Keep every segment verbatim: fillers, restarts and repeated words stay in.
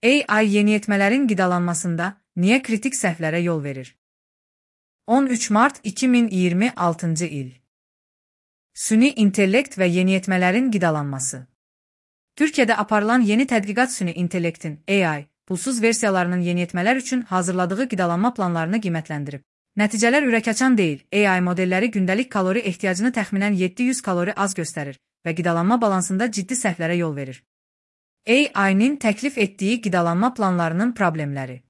A I yeniyetmələrin qidalanmasında niyə kritik səhvlərə yol verir? on üç mart iki min iyirmi altıncı il. Süni intellekt və yeniyetmələrin qidalanması. Türkiyədə aparılan yeni tədqiqat süni intellektin A I, pulsuz versiyalarının yeniyetmələr üçün hazırladığı qidalanma planlarını qiymətləndirib. Nəticələr ürəkaçan deyil, A I modelləri gündəlik kalori ehtiyacını təxminən yeddi yüz kalori az göstərir və qidalanma balansında ciddi səhvlərə yol verir. A I-nin təklif etdiyi qidalanma planlarının problemləri.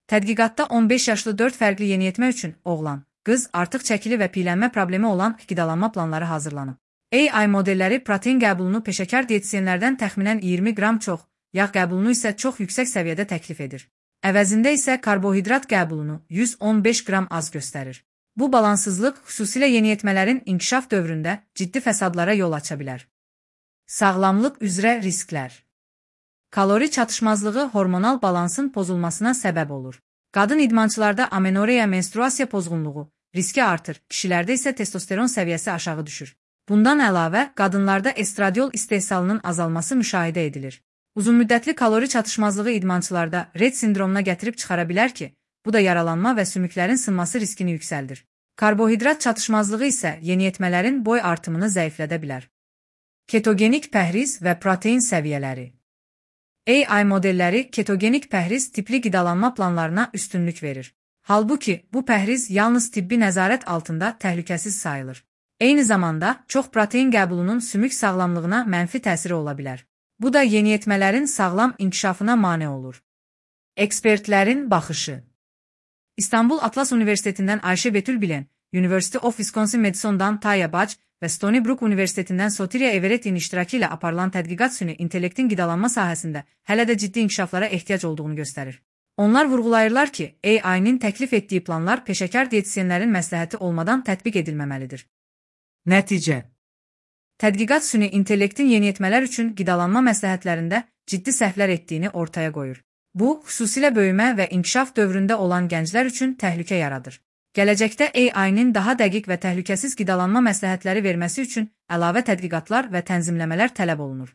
Tədqiqatda on beş yaşlı dörd fərqli yeniyetmə üçün oğlan, qız, artıq çəkili və piylənmə problemi olan qidalanma planları hazırlanıb. A I modelləri protein qəbulunu peşəkar diyetisyenlərdən təxminən iyirmi qram çox, yağ qəbulunu isə çox yüksək səviyyədə təklif edir. Əvəzində isə karbohidrat qəbulunu yüz on beş qram az göstərir. Bu balansızlıq xüsusilə yeniyetmələrin inkişaf dövründə ciddi fəsadlara yol aça bilər. Sağlamlıq üzrə risklər. Kalori çatışmazlığı hormonal balansın pozulmasına səbəb olur. Qadın idmançılarda amenoreya menstruasiya pozğunluğu riski artır, kişilərdə isə testosteron səviyyəsi aşağı düşür. Bundan əlavə, qadınlarda estradiol istehsalının azalması müşahidə edilir. Uzunmüddətli kalori çatışmazlığı idmançılarda Rett sindromuna gətirib çıxara bilər ki, bu da yaralanma və sümüklərin sınması riskini yüksəldir. Karbohidrat çatışmazlığı isə yeniyetmələrin boy artımını zəiflədə bilər. Ketogenik pəhriz və protein səviyyələri. A I modelləri ketogenik pəhriz tipli qidalanma planlarına üstünlük verir. Halbuki, bu pəhriz yalnız tibbi nəzarət altında təhlükəsiz sayılır. Eyni zamanda, çox protein qəbulunun sümük sağlamlığına mənfi təsiri ola bilər. Bu da yeniyetmələrin sağlam inkişafına mane olur. Ekspertlərin baxışı. İstanbul Atlas Universitetindən Ayşe Betül Bilen, University of Wisconsin-Madison'dan Taya Bac və Stony Brook Universitetindən Sotiria Everetti'nin iştirakı ilə aparılan tədqiqat süni intellektin qidalanma sahəsində hələ də ciddi inkişaflara ehtiyac olduğunu göstərir. Onlar vurğulayırlar ki, A I-nin təklif etdiyi planlar peşəkar diyetisyenlərin məsləhəti olmadan tətbiq edilməməlidir. Nəticə. Tədqiqat süni intellektin yeniyetmələr üçün qidalanma məsləhətlərində ciddi səhvlər etdiyini ortaya qoyur. Bu, xüsusilə böyümə və inkişaf dövründə olan gənclər üçün təhlükə yaradır. Gələcəkdə A I-nin daha dəqiq və təhlükəsiz qidalanma məsləhətləri verməsi üçün əlavə tədqiqatlar və tənzimləmələr tələb olunur.